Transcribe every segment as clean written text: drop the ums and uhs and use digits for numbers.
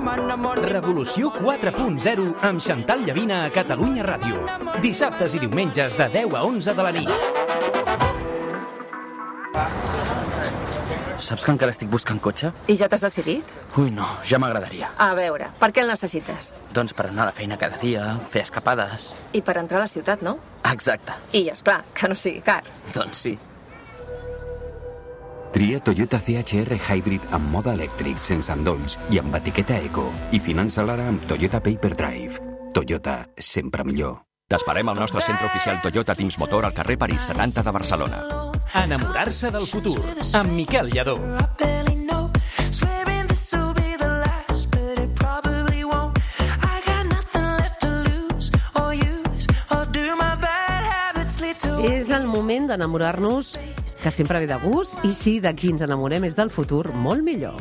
Revolució 4.0 amb Xantal Llavina a Catalunya Ràdio. Dissabtes i diumenges de 10 a 11 de la nit. Saps que encara estic buscant cotxe? I ja t'has decidit? Ui, no, ja m'agradaria. A veure, per què el necessites? Doncs per anar a la feina cada dia, fer escapades... I per entrar a la ciutat, no? Exacte. I, esclar, que no sigui car. Doncs sí. Tria Toyota CHR Hybrid amb mode elèctric, sense endolls i amb etiqueta eco. I finança-la ara amb Toyota Paper Drive. Toyota, sempre millor. T'esperem al nostre centre oficial Toyota Teams Motor al carrer París 70 de Barcelona. Enamorar-se del futur, amb Miquel Lladó. És el moment d'enamorar-nos, que sempre ve de gust, i si de qui ens enamorem és del futur molt millor.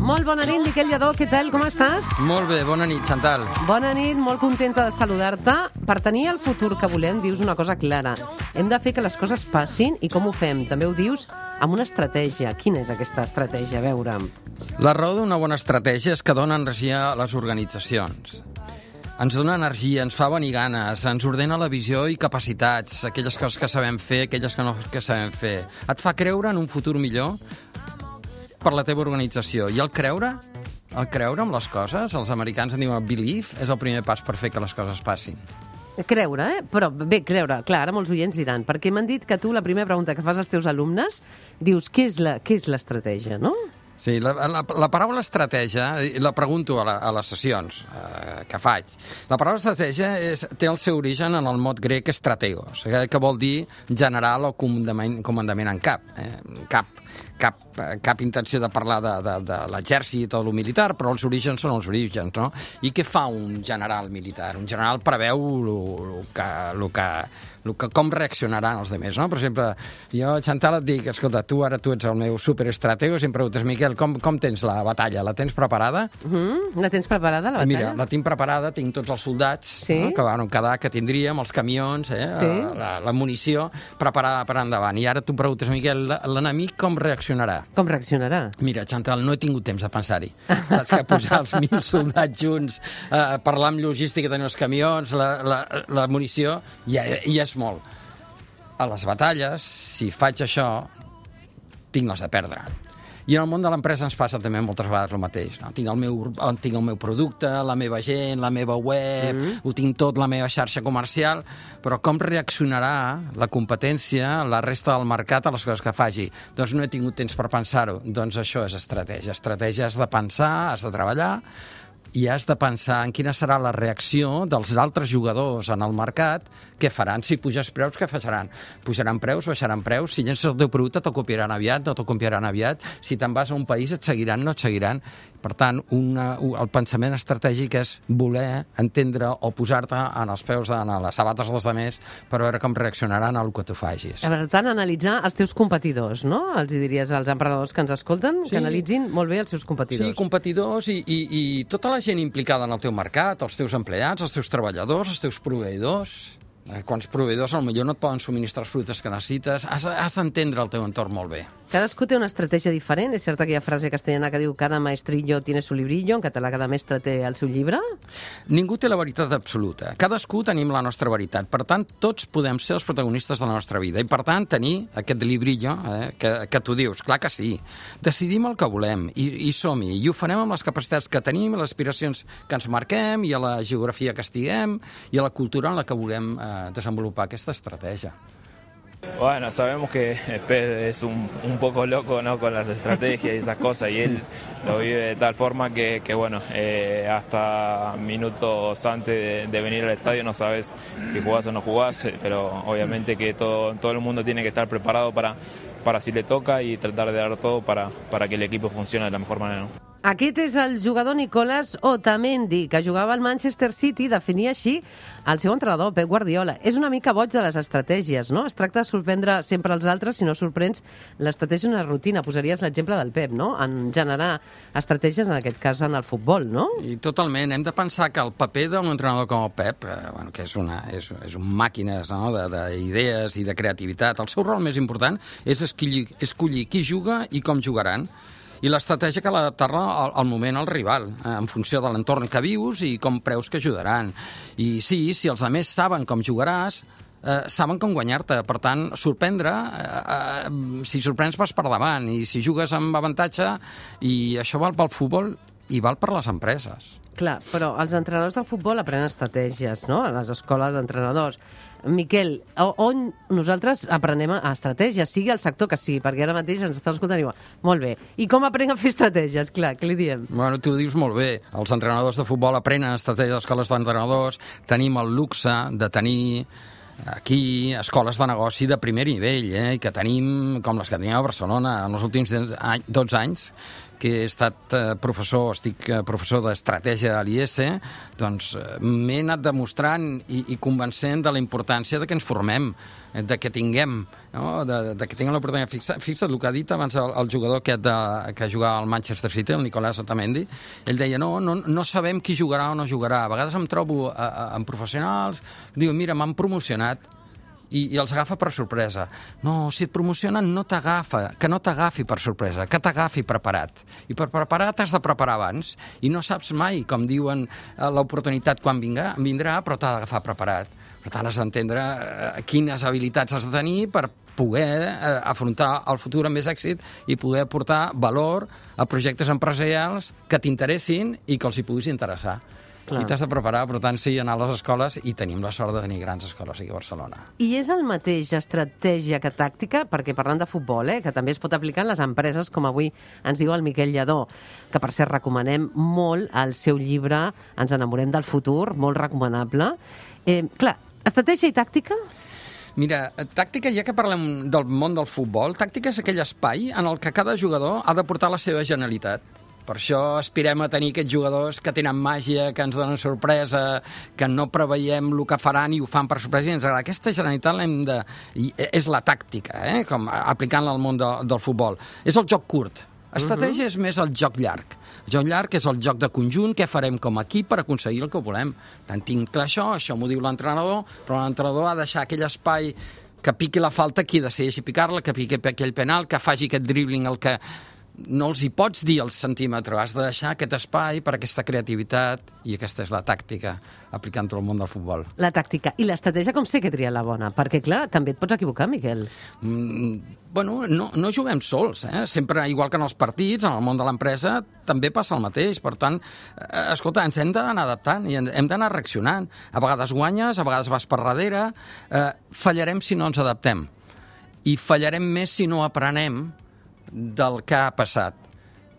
Molt bona nit, Miquel Lladó, què tal, com estàs? Molt bé, bona nit, Xantal. Bona nit, molt contenta de saludar-te. Per tenir el futur que volem, dius una cosa clara. Hem de fer que les coses passin, i com ho fem? També ho dius amb una estratègia. Quina és aquesta estratègia? A veure. La raó d'una bona estratègia és que dona energia a les organitzacions. Ens dona energia, ens fa venir ganes, ens ordena la visió i capacitats, aquelles coses que sabem fer, aquelles que no que sabem fer. Et fa creure en un futur millor per la teva organització. I el creure en les coses, els americans en diuen believe, és el primer pas per fer que les coses passin. Creure, Però bé, creure, clar, ara molts oients diran, perquè m'han dit que tu la primera pregunta que fas als teus alumnes dius què és l'estratègia, no? Sí, la paraula estratègia, la pregunto a les sessions que faig. La paraula estratègia té el seu origen en el mot grec strategos, que vol dir general o comandament en cap. Cap intenció de parlar de l'exèrcit o del militar, però els orígens són els orígens, no? I què fa un general militar? Un general preveu com reaccionaran els altres, no? Per exemple, jo, Xantal, et dic, escolta, tu ets el meu superestratego, i em preguntes, Miquel, com tens la batalla? La tens preparada? La tens preparada, la batalla? Mira, la tinc preparada, tinc tots els soldats, sí? No? Que tindríem, els camions, sí? la munició preparada per endavant. I ara tu preguntes, Miquel, l'enemic com reaccionarà? Com reaccionarà? Mira, Xantal, no he tingut temps de pensar-hi. Saps que posar els 1.000 soldats junts, parlar amb logística, tenir els camions, la munició, ja és molt. A les batalles, si faig això, tinc les de perdre. I en el món de l'empresa ens passa també moltes vegades el mateix. No? Tinc el meu producte, la meva gent, la meva web, ho tinc tot, la meva xarxa comercial, però com reaccionarà la competència, la resta del mercat a les coses que faci? Doncs no he tingut temps per pensar-ho. Doncs això és estratègia. Estratègia has de pensar, has de treballar, i has de pensar en quina serà la reacció dels altres jugadors en el mercat, què faran. Si puges preus, què faran? Pujaran preus, baixaran preus, si llences el teu producte te'l copiaran aviat, no te'l copiaran aviat, si te'n vas a un país et seguiran, no et seguiran. Per tant, el pensament estratègic és voler entendre o posar-te en els peus, en les sabates dels altres, per veure com reaccionaran al que tu facis. Per tant, analitzar els teus competidors, no? Els diries als emprenedors que ens escolten, que analitzin molt bé els seus competidors. Sí, competidors i tota la gent implicada en el teu mercat, els teus empleats, els teus treballadors, els teus proveïdors. Quants proveïdors potser no et poden subministrar els productes que necessites. Has d'entendre el teu entorn molt bé. Cadascú té una estratègia diferent. És certa aquella frase castellana que diu cada maestrillo tiene su librillo, en català cada mestre té el seu llibre? Ningú té la veritat absoluta. Cadascú tenim la nostra veritat. Per tant, tots podem ser els protagonistes de la nostra vida. I per tant, tenir aquest librillo que tu dius, clar que sí. Decidim el que volem i som-hi. I ho farem amb les capacitats que tenim, les aspiracions que ens marquem, i a la geografia que estiguem, i a la cultura en la que volem desenvolupar aquesta estratègia. Bueno, sabemos que Pez es un poco loco, ¿no?, con las estrategias y esas cosas, y él lo vive de tal forma que bueno, hasta minutos antes de venir al estadio no sabes si jugás o no jugás, pero obviamente que todo el mundo tiene que estar preparado para si le toca y tratar de dar todo para que el equipo funcione de la mejor manera, ¿no? Aquest és el jugador Nicolás Otamendi, que jugava al Manchester City, definia així el seu entrenador, Pep Guardiola. És una mica boig de les estratègies, no? Es tracta de sorprendre sempre els altres, si no sorprens, l'estratègia és una rutina. Posaries l'exemple del Pep, no? En generar estratègies, en aquest cas, en el futbol, no? I totalment. Hem de pensar que el paper d'un entrenador com el Pep, que és un màquines, no? d'idees i de creativitat, el seu rol més important és escollir qui juga i com jugaran. I l'estratègia cal adaptar-la al moment al rival, en funció de l'entorn que vius i com creus que ajudaran. I sí, si els altres saben com jugaràs, saben com guanyar-te. Per tant, sorprendre, si sorprens vas per davant, i si jugues amb avantatge, i això val pel futbol i val per les empreses. Clar, però els entrenadors de futbol aprenen estratègies, no?, a les escoles d'entrenadors. Miquel, on nosaltres aprenem a estratègies, sigui el sector que sigui, perquè ara mateix ens estan escoltant i diuen, molt bé, i com aprenen a fer estratègies? Clar, què li diem? Bueno, tu ho dius molt bé, els entrenadors de futbol aprenen estratègies a les escoles d'entrenadors, tenim el luxe de tenir aquí escoles de negoci de primer nivell, i que tenim, com les que tenim a Barcelona, en els últims 12 anys, que he estat estic professor d'estratègia a l'IES, doncs m'he anat demostrant i convencent de la importància de que ens formem, de que tinguem, no? de que tinguem l'oportunitat. Fixa't el que ha dit abans el jugador aquest que jugava al Manchester City, el Nicolás Otamendi. Ell deia, no sabem qui jugarà o no jugarà. A vegades em trobo amb professionals, diuen, mira, m'han promocionat, i els agafa per sorpresa. No, si et promocionen no t'agafa, que no t'agafi per sorpresa, que t'agafi preparat. I per preparat has de preparar abans, i no saps mai, com diuen, l'oportunitat quan vindrà, però t'ha d'agafar preparat. Per tant, has d'entendre quines habilitats has de tenir per poder afrontar el futur amb més èxit i poder aportar valor a projectes empresarials que t'interessin i que els hi puguis interessar. Clar. I t'has de preparar, per tant, sí, anar a les escoles, i tenim la sort de tenir grans escoles aquí a Barcelona. I és el mateix estratègia que tàctica, perquè parlant de futbol, que també es pot aplicar en les empreses, com avui ens diu el Miquel Lladó, que per cert recomanem molt el seu llibre Ens enamorem del futur, molt recomanable. Clar, estratègia i tàctica? Mira, tàctica, ja que parlem del món del futbol, tàctica és aquell espai en el que cada jugador ha de portar la seva genialitat. Per això aspirem a tenir aquests jugadors que tenen màgia, que ens donen sorpresa, que no preveiem el que faran i ho fan per sorpresa i ens agrada. Aquesta generalitat és la tàctica, com aplicant-la al món del futbol. És el joc curt. Estratègia és més el joc llarg. El joc llarg és el joc de conjunt, què farem com a equip per aconseguir el que volem. Tant tinc clar això m'ho diu l'entrenador, però l'entrenador ha de deixar aquell espai que piqui la falta, qui decideixi picar-la, que piqui aquell penal, que faci aquest dribbling, el que no els hi pots dir al centímetre, has de deixar aquest espai per aquesta creativitat, i aquesta és la tàctica aplicant-ho al món del futbol. La tàctica. I l'estratègia com sé que tria la bona? Perquè, clar, també et pots equivocar, Miquel. Bueno, no juguem sols, Sempre, igual que en els partits, en el món de l'empresa, també passa el mateix. Per tant, escolta, ens hem d'anar adaptant i hem d'anar reaccionant. A vegades guanyes, a vegades vas per darrere, fallarem si no ens adaptem. I fallarem més si no aprenem del que ha passat.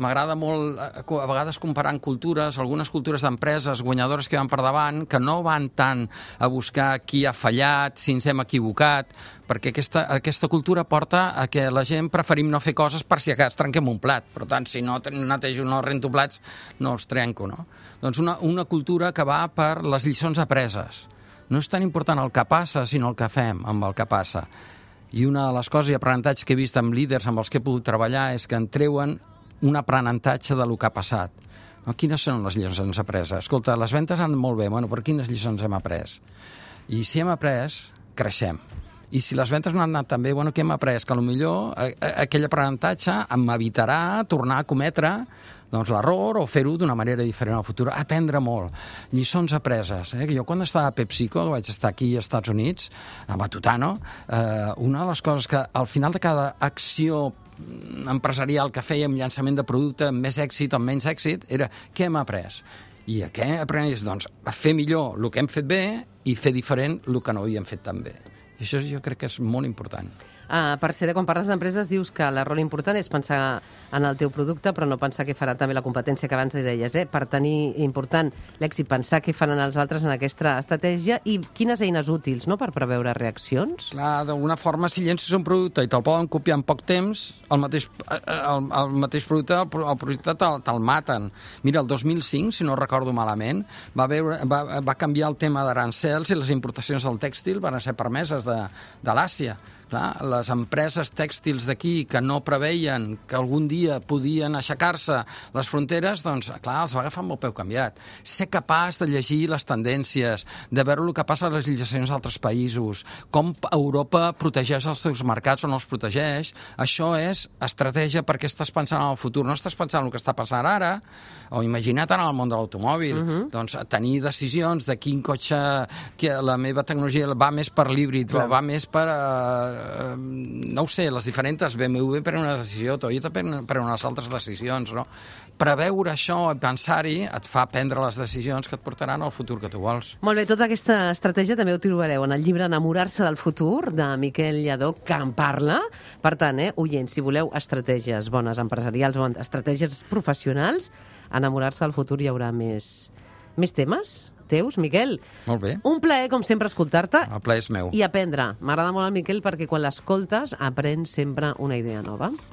M'agrada molt, a vegades, comparant cultures, algunes cultures d'empreses guanyadores que van per davant, que no van tant a buscar qui ha fallat, si ens hem equivocat, perquè aquesta cultura porta a que la gent preferim no fer coses per si acas trenquem un plat. Per tant, si no netejo, no rento plats, no els trenco, no? Doncs una cultura que va per les lliçons apreses. No és tan important el que passa, sinó el que fem amb el que passa. I una de les coses i aprenentatges que he vist amb líders amb els que he pogut treballar és que en treuen un aprenentatge de lo que ha passat. Quines són les lliçons apreses? Escolta, les ventes han molt bé, però quines lliçons hem après? I si hem après, creixem. I si les ventes no han anat tan bé, què hem après? Que potser aquell aprenentatge m'evitarà tornar a cometre l'error o fer-ho d'una manera diferent al futur. Aprendre molt. Lliçons apreses. Jo quan estava a PepsiCo, vaig estar aquí als Estats Units, a Matutano, una de les coses que al final de cada acció empresarial que fèiem, llançament de producte amb més èxit o amb menys èxit, era què hem après? I què aprenies? Doncs a fer millor el que hem fet bé i fer diferent el que no havíem fet tan bé. I això jo crec que és molt important. Per ser, quan parles d'empreses, dius que l'error important és pensar en el teu producte, però no pensar què farà també la competència, que abans li deies, per tenir important l'èxit, pensar què faran els altres en aquesta estratègia i quines eines útils, no?, per preveure reaccions. Clar, d'alguna forma, si llences un producte i te'l poden copiar en poc temps, el mateix producte, el projecte te'l maten. Mira, el 2005, si no recordo malament, va canviar el tema d'arancels i les importacions del tèxtil van ser permeses de l'Àsia. Clar, les empreses tèxtils d'aquí que no preveien que algun dia podien aixecar-se les fronteres, doncs, clar, els va agafar amb el peu canviat. Ser capaç de llegir les tendències, de veure el que passa a les legislacions d'altres països, com Europa protegeix els seus mercats o no els protegeix, això és estratègia perquè estàs pensant en el futur, no estàs pensant en el que està passant ara, o imagina't en el món de l'automòbil. Doncs tenir decisions de quin cotxe, que la meva tecnologia va més per l'híbrid, va més per no ho sé, les diferents, BMW per una decisió, Toyota per unes altres decisions, no? Preveure això i pensar-hi et fa prendre les decisions que et portaran al futur que tu vols. Molt bé, tota aquesta estratègia també ho trobareu en el llibre Enamorar-se del futur, de Miquel Lladó, que en parla. Per tant, oients, si voleu estratègies bones empresarials o estratègies professionals, Enamorar-se del futur hi haurà més temes teus, Miquel. Molt bé. Un plaer, com sempre, escoltar-te. El plaer és meu. I aprendre. M'agrada molt el Miquel perquè quan l'escoltes aprens sempre una idea nova.